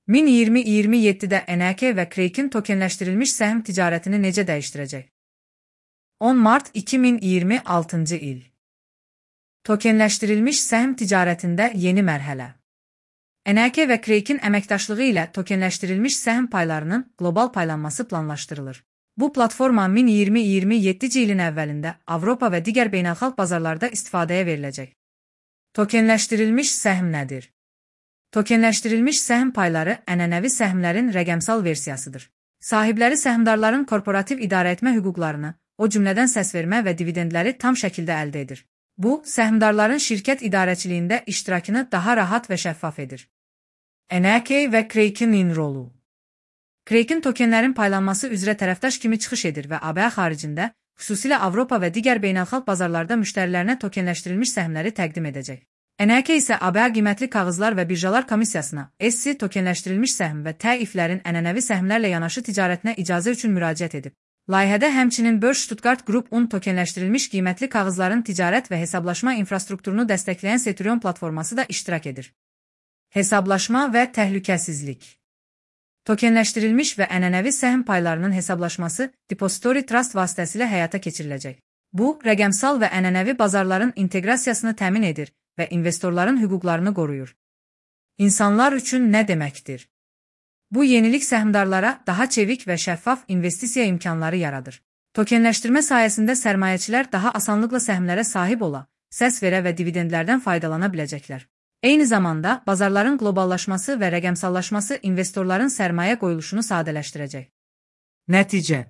Min2027'də NRK və Crake'in tokenləşdirilmiş səhm ticarətini necə dəyişdirəcək? 10 mart 2026-cı il. Tokenləşdirilmiş səhm ticarətində yeni mərhələ. NRK və Crake'in əməkdaşlığı ilə tokenləşdirilmiş səhm paylarının qlobal paylanması planlaşdırılır. Bu platforma Min2027-ci ilin əvvəlində Avropa və digər beynəlxalq bazarlarda istifadəyə veriləcək. Tokenləşdirilmiş səhm nədir? Tokenləşdirilmiş səhm payları ənənəvi səhmlərin rəqəmsal versiyasıdır. Sahibləri səhmdarların korporativ idarəetmə hüquqlarını, o cümlədən səsvermə və dividendləri tam şəkildə əldə edir. Bu, səhmdarların şirkət idarəçiliyində iştirakını daha rahat və şəffaf edir. NRK və Crake'in rolu. Crake'in tokenlərin paylanması üzrə tərəfdaş kimi çıxış edir və ABŞ xaricində, xüsusilə Avropa və digər beynəlxalq bazarlarda müştərilərinə tokenləşdirilmiş səhmləri təqdim edəcək. NRK isə ABŞ qiymətli kağızlar və birjalar komissiyasına SC tokenləşdirilmiş səhm və təiflərin ənənəvi səhmlərlə yanaşı ticarətinə icazə üçün müraciət edib. Layihədə həmçinin Börse Stuttgart Group-un tokenləşdirilmiş qiymətli kağızların ticarət və hesablaşma infrastrukturunu dəstəkləyən Centurion platforması da iştirak edir. Hesablaşma və təhlükəsizlik. Tokenləşdirilmiş və ənənəvi səhm paylarının hesablaşması Depository Trust vasitəsilə həyata keçiriləcək. Bu, rəqəmsal və ənənəvi bazarların inteqrasiyasını təmin edir və investorların hüquqlarını qoruyur. İnsanlar üçün nə deməkdir? Bu yenilik səhmdarlara daha çevik və şəffaf investisiya imkanları yaradır. Tokenləşdirmə sayəsində sərmayəçilər daha asanlıqla səhmlərə sahib ola, səs verə və dividendlərdən faydalana biləcəklər. Eyni zamanda, bazarların qloballaşması və rəqəmsallaşması investorların sərmayə qoyuluşunu sadələşdirəcək. Nəticə.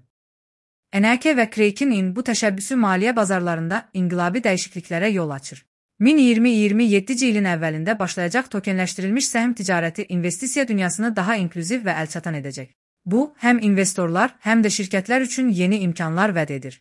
NRK və Crake'in bu təşəbbüsü maliyyə bazarlarında inqilabi dəyişikliklərə yol açır. Min2027-ci ilin əvvəlində başlayacaq tokenləşdirilmiş səhm ticarəti investisiya dünyasını daha inklüziv və əlçatan edəcək. Bu, həm investorlar, həm də şirkətlər üçün yeni imkanlar vəd edir.